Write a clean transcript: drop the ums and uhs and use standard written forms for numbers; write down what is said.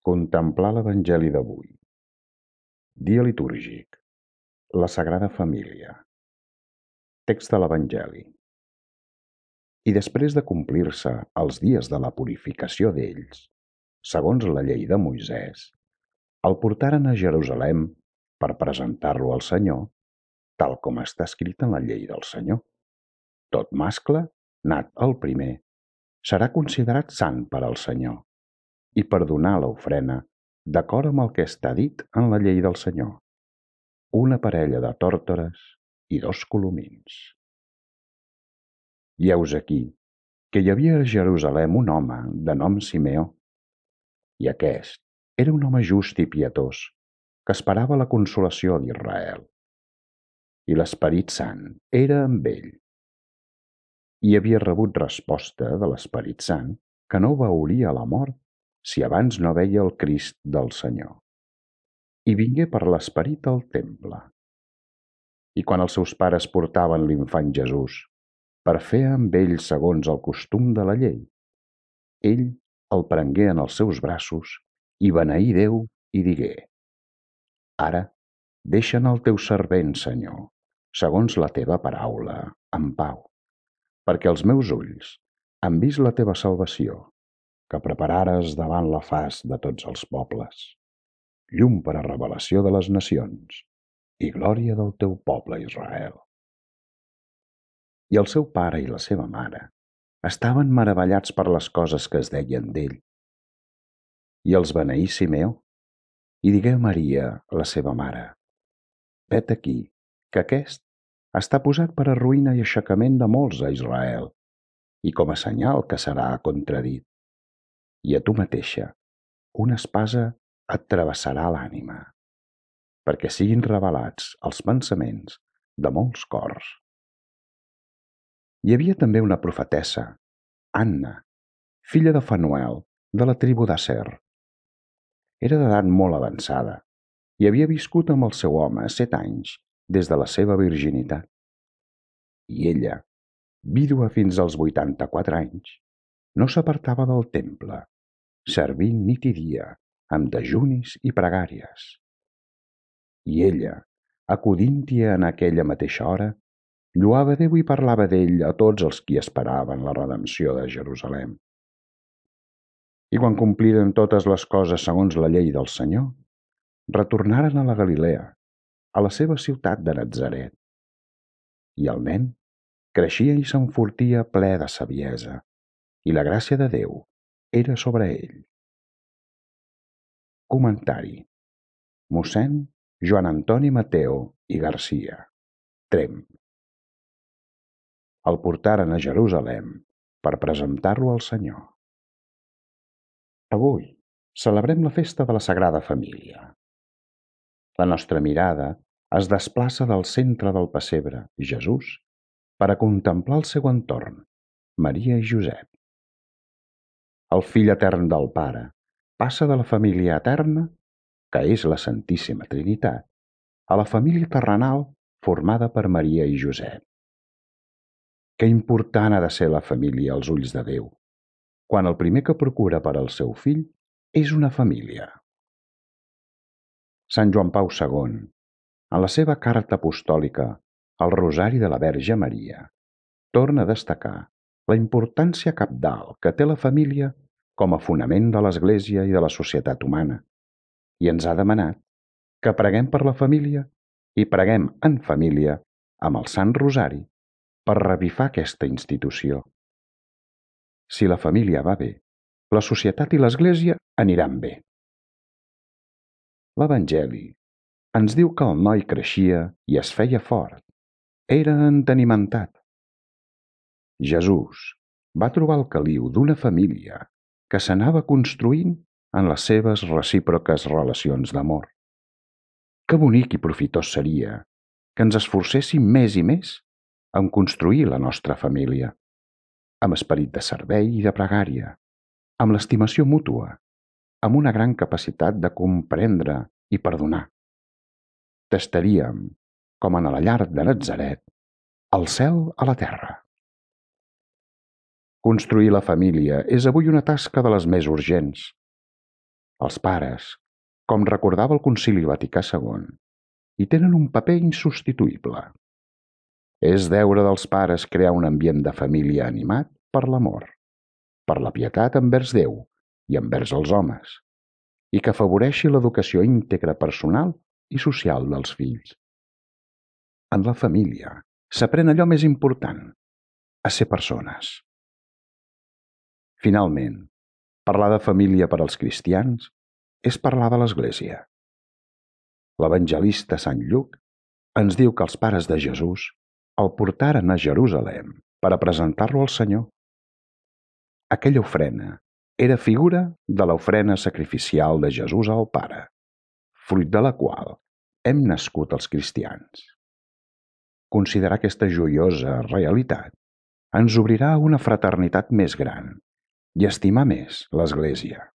Contemplar l'Evangeli d'avui. Dia litúrgic. La Sagrada Família. Text de l'Evangeli. I després de complir-se els dies de la purificació d'ells, segons la llei de Moisès, el portaren a Jerusalem per presentar-lo al Senyor, tal com està escrit en la llei del Senyor. Tot mascle, nat el primer, serà considerat sant per al Senyor, i per donar l'ofrena d'acord amb el que està dit en la llei del Senyor, una parella de tórtores i 2 colomins. I heus aquí que hi havia a Jerusalem un home de nom Simeó, i aquest era un home just i pietós, que esperava la consolació d'Israel. I l'Esperit Sant era amb ell. I havia rebut resposta de l'Esperit Sant que no veuria la mort si abans no veia el Crist del Senyor. I vingué per l'Esperit al temple. I quan els seus pares portaven l'infant Jesús per fer amb ell segons el costum de la llei, ell el prengué en els seus braços i beneí Déu i digué: Ara deixa'n el teu servent, Senyor, segons la teva paraula, en pau, perquè els meus ulls han vist la teva salvació, que preparares davant la faç de tots els pobles, llum per a revelació de les nacions i glòria del teu poble Israel. I el seu pare i la seva mare estaven meravellats per les coses que es deien d'ell. I els beneí Simeó, i digué a Maria, la seva mare: Vet aquí, que aquest està posat per a ruïna i aixecament de molts a Israel, i com a senyal que serà contradit. I a tu mateixa, una espasa et travessarà l'ànima, perquè siguin revelats els pensaments de molts cors. Hi havia també una profetessa, Anna, filla de Fanuel, de la tribu d'Aser. Era d'edat molt avançada i havia viscut amb el seu home 7 anys des de la seva virginitat. I ella, vídua fins als 84 anys, no s'apartava del temple, servint nit i dia amb dejunis i pregàries. I ella, acudint-hi en aquella mateixa hora, lloava Déu i parlava d'ell a tots els qui esperaven la redempció de Jerusalem. I quan compliren totes les coses segons la llei del Senyor, retornaren a la Galilea, a la seva ciutat de Natzaret. I el nen creixia i s'enfortia ple de saviesa, i la gràcia de Déu era sobre ell. Comentari: Mossèn Joan Antoni Mateo i Garcia, Tremp. El portaren a Jerusalem per presentar-lo al Senyor. Avui celebrem la festa de la Sagrada Família. La nostra mirada es desplaça del centre del pessebre, Jesús, per a contemplar el seu entorn, Maria i Josep. El Fill etern del Pare passa de la família eterna, que és la Santíssima Trinitat, a la família terrenal formada per Maria i Josep. Que important ha de ser la família als ulls de Déu, quan el primer que procura per al seu fill és una família. Sant Joan Pau II, en la seva carta apostòlica al Rosari de la Verge Maria, torna a destacar la importància cabdal que té la família com a fonament de l'Església i de la societat humana, i ens ha demanat que preguem per la família i preguem en família amb el Sant Rosari per revifar aquesta institució. Si la família va bé, la societat i l'Església aniran bé. L'Evangeli ens diu que el noi creixia i es feia fort. Era entenimentat. Jesús va trobar el caliu d'una família que s'anava construint en les seves recíproques relacions d'amor. Que bonic i profitós seria que ens esforcéssim més i més en construir la nostra família, amb esperit de servei i de pregària, amb l'estimació mútua, amb una gran capacitat de comprendre i perdonar. Tastaríem, com en la llar de Natzaret, el cel a la terra. Construir la família és avui una tasca de les més urgents. Els pares, com recordava el Concili Vaticà II, hi tenen un paper insubstituïble. És deure dels pares crear un ambient de família animat per l'amor, per la pietat envers Déu i envers els homes, i que afavoreixi l'educació íntegra personal i social dels fills. En la família s'aprèn allò més important, a ser persones. Finalment, parlar de família per als cristians és parlar de l'Església. L'evangelista Sant Lluc ens diu que els pares de Jesús el portaren a Jerusalem per a presentar-lo al Senyor. Aquella ofrena era figura de l'ofrena sacrificial de Jesús al Pare, fruit de la qual hem nascut els cristians. Considerar aquesta joiosa realitat ens obrirà a una fraternitat més gran i estimar més l'Església.